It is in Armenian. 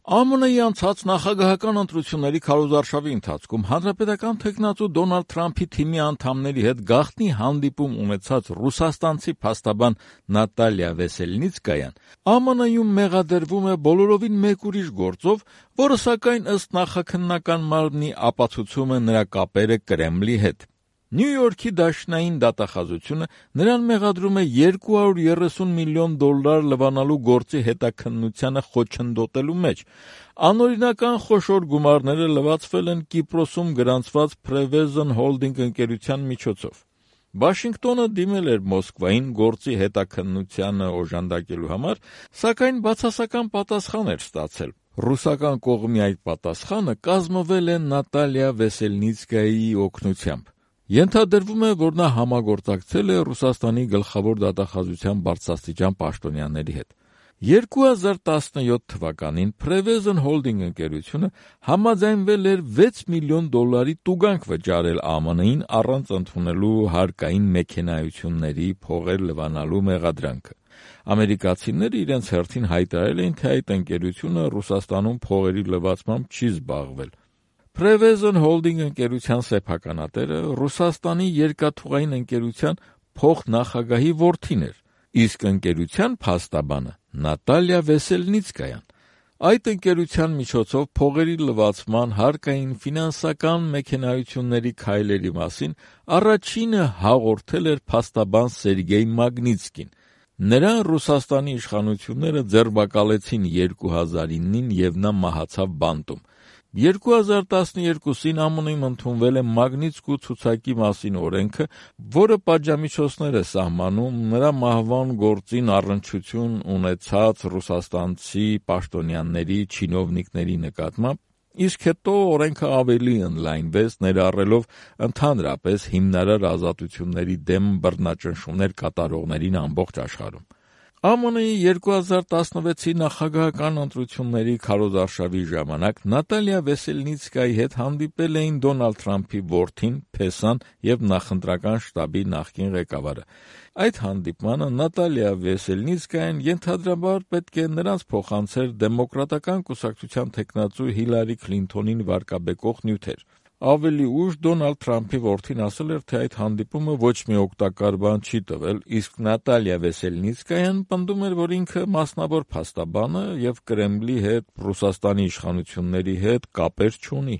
ԱՄՆ-ի անցած նախագահական ընտրությունների քարոզարշավի ընթացքում հանրապետական թեկնածու Դոնալդ Թրամփի թիմի անդամների հետ գաղտնի հանդիպում ունեցած ռուսաստանցի փաստաբան Նատալիա Վեսելնիցկայան ԱՄՆ-ում մեղադրվում է բոլորովին մեկ ուրիշ գործով, որը սակայն ըստ նախաքննական մարմնի ապացուցում է նրա կապերը Կրեմլի հետ։ Նյու Յորքի դաշնային դատախազությունը նրան մեղադրում է $230 միլիոն լվանալու գործի հետաքննությանը խոչընդոտելու մեջ։ Անօրինական խոշոր գումարները լվացվել են Կիպրոսում գրանցված Prevezon Holding ընկերության միջոցով։ Վաշինգտոնը դիմել էր Մոսկվային գործի հետաքննությանը օժանդակելու համար, սակայն բացասական պատասխան էր ստացել։ Ռուսական կողմի այդ պատասխանը կազմվել է Նատալիա Վեսելնիցկայի օգնությամբ։ Ենթադրվում է, որ նա համագործակցել է Ռուսաստանի գլխավոր դատախազության բարձրաստիճան պաշտոնյաների հետ։ 2017 թվականին Prevezon Holding ընկերությունը համաձայնվել էր $6 միլիոն տուգանք վճարել ԱՄՆ-ին առանց ընդունելու հարկային մեքենայությունների փողեր լվանալու մեղադրանքը։ Ամերիկացիները իրենց հերթին հայտարարել էին, թե այդ ընկերությունը Ռուսաստանում փողերի լվացմամբ չի զբաղվել։ Prevezon Holding ընկերության սեփականատերը Ռուսաստանի երկաթուղային ընկերության փոխնախագահի որդին էր, իսկ ընկերության փաստաբանը Նատալիա Վեսելնիցկայան։ Այդ ընկերության միջոցով փողերի լվացման հարկային ֆինանսական մեքենայությունների քայլերի մասին առաջինը հաղորդել էր փաստաբան Սերգեյ Մագնիցկին։ Նրան Ռուսաստանի իշխանությունները ձերբակալեցին 2009-ին և նա մահացավ բանտում։ 2012-ին ԱՄՆ-ում ընդունվել է Մագնիցկու ցուցակի մասին օրենքը, որը պատժամիջոցներ է սահմանում նրա մահվան գործին առնչություն ունեցած ռուսաստանցի պաշտոնյաների, չինովնիկների նկատմամբ, իսկ հետո օրենքը ավելի ընդլայնվեց, ներառելով ընդհանրապես հիմնարար ազատությունների դեմ բռնաճնշումներ կատարողներին ամբողջ աշխարհում։ ԱՄՆ-ի 2016-ի նախագահական ընտրությունների քարոզարշավի ժամանակ Նատալիա Վեսելնիցկայի հետ հանդիպել էին Դոնալդ Թրամփի որդին, Փեսան և նախընտրական շտաբի նախկին ղեկավարը։ Այդ հանդիպմանը Նատալիա Վեսելնիցկայան ենթադրաբար պետք է նրանց փոխանցեր դեմոկրատական կուսակցության թեկնածու Հիլարի Քլինթոնին վարկաբեկող նյութեր։ Ավելի ուշ Դոնալդ Թրամփի որդին ասել էր, թե այդ հանդիպումը ոչ մի օգտակար բան չի տվել, իսկ Նատալիա Վեսելնիցկայան պնդում էր, որ ինքը մասնավոր փաստաբան է և Կրեմլի հետ, Ռուսաստանի իշխանությունների հետ կապեր չունի։